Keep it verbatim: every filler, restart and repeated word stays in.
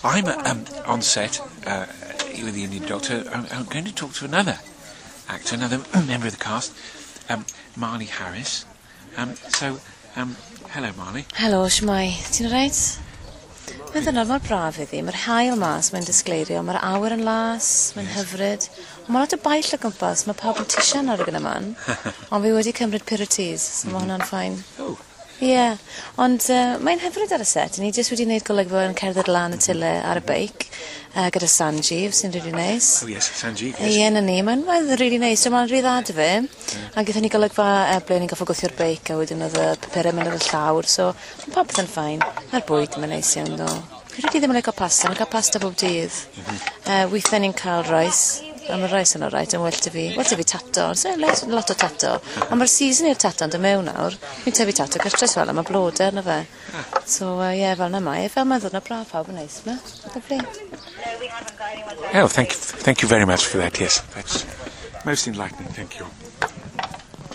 I'm um, on set uh, with the Indian Doctor. I'm, I'm going to talk to another actor, another member of the cast, um, Marley Harris. Um, so, um, hello, Marley. Helo, shwmae. Ti'n reit? Mae'n ddwrnod mor braf iddi. Mae'r haul mas, mae'n disgleirio. Mae'r awyr yn las, mae'n hyfryd. Ond mae lot o baill o gwmpas. Mae pawb yn tisian ar y gyda man. Ond fi wedi cymryd Piriteze, so mae hwnna'n fine. Oh, Ie, yeah. Ond uh, mae'n hyfryd ar y set. Ni jyst wedi gwneud golygfa yn cerdded lan y tyle ar y beic uh, gyda Sanjeev, sy'n really nice. Oh yes, Sanjeev, Ie, yes. yeah, na ni. Mae'n mae'n really nice. So mae'n rhy dda dy fe. A gaethon ni golygfa uh, ble ni'n goffo gwthio'r beic a wedyn oedd y papurau mynd ar y llawr. So mae popeth yn fine. Mae'r bwyd yn neis iawn ddo. Fi really ddim yn licio pasta. Mae'n cael pasta bob dydd. Uh, weithiau ni'n cael rice. A mae'r rice yn alright, yn well 'da fi. Well 'da fi tato. So, lot, lot o tato. Ond mae'r season i'r tato yn dod mewn nawr. Fi'n tyfu tato gartre fel, a mae blodau arno fe. So, ie, uh, yeah, fel 'na mae. Fel mae'n ddod na braf pawb yn neis, ma. Lovely. Oh, thank you, thank you very much for that. Yes, that's most enlightening. Thank you.